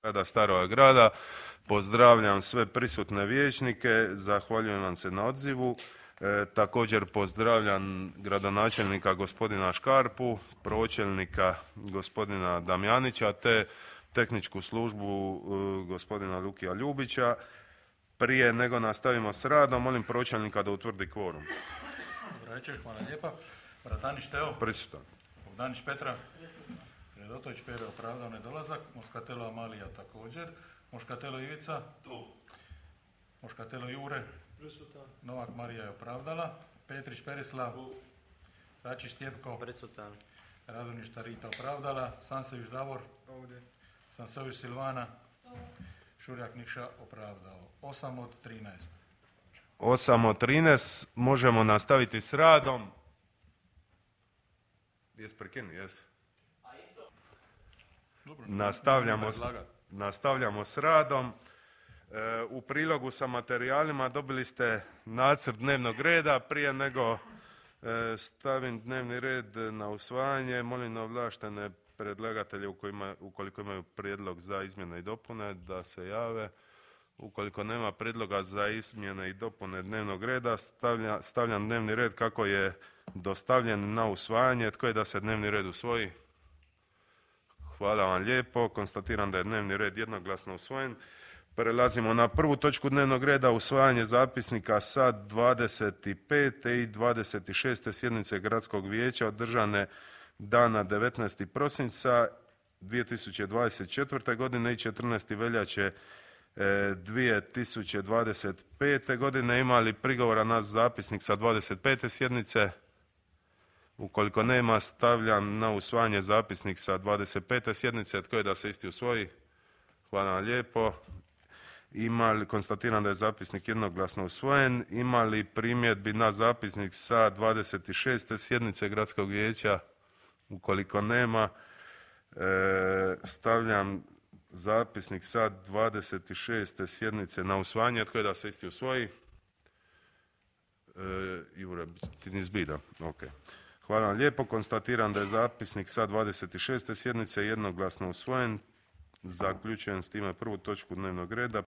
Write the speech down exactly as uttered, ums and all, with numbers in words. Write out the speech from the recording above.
grada Staroga grada. Pozdravljam sve prisutne vijećnike, zahvaljujem vam se na odzivu. E, također pozdravljam gradonačelnika gospodina Škarpu, pročelnika gospodina Damjanića te tehničku službu e, gospodina Lukija Ljubića. Prije nego nastavimo s radom, molim pročelnika da utvrdi kvorum. Dobro večer, hvala lijepa. Bratanić Teo. Prisutan. Bogdanić Petra. Predotović Pere opravdao nedolazak. Moskatelo Amalija također. Moškatelo Ivica. Tu. Moškatelo Jure. Prisutan. Novak Marija je opravdala. Petrić Perislav. Tu. Račić Tjepko. Prisutan. Radoništa Rita opravdala. Sansević Davor. Ovdje. Sansević Silvana. Tu. Šurjak Nikša opravdao. osam od trinaest. osam od trinaest, možemo nastaviti s radom. Jes prekini, jes? Nastavljamo, s, nastavljamo s radom. E, u prilogu sa materijalima dobili ste nacrt dnevnog reda. Prije nego e, stavim dnevni red na usvajanje, molim ovlaštene predlagatelje u kojima, ukoliko imaju prijedlog za izmjene i dopune da se jave. Ukoliko nema prijedloga za izmjene i dopune dnevnog reda, stavlja, stavljam dnevni red kako je dostavljen na usvajanje. Tko je da se dnevni red usvoji? Hvala vam lijepo. Konstatiram da je dnevni red jednoglasno usvojen. Prelazimo na prvu točku dnevnog reda, usvajanje zapisnika sa dvadeset pete i dvadeset šeste sjednice Gradskog vijeća održane dana devetnaestog prosinca dvije tisuće dvadeset četvrte. godine i četrnaestog veljače dvije tisuće dvadeset pete. godine. Ima li prigovora na zapisnik sa dvadeset pete sjednice? Ukoliko nema, stavljam na usvajanje zapisnik sa dvadeset pete sjednice. Tko je da se isti usvoji? Hvala vam lijepo. Ima li, konstatiram da je zapisnik jednoglasno usvojen. Ima li primjedbi na zapisnik sa dvadeset šeste sjednice Gradskog vijeća? Ukoliko nema, e, stavljam zapisnik sa dvadeset šeste sjednice na usvajanje. Tko je da se isti usvoji? E, Jure, ti ni zbida. Ok. Hvala vam lijepo. Konstatiram da je zapisnik sa dvadeset šeste sjednice jednoglasno usvojen. Zaključujem s time prvu točku dnevnog reda.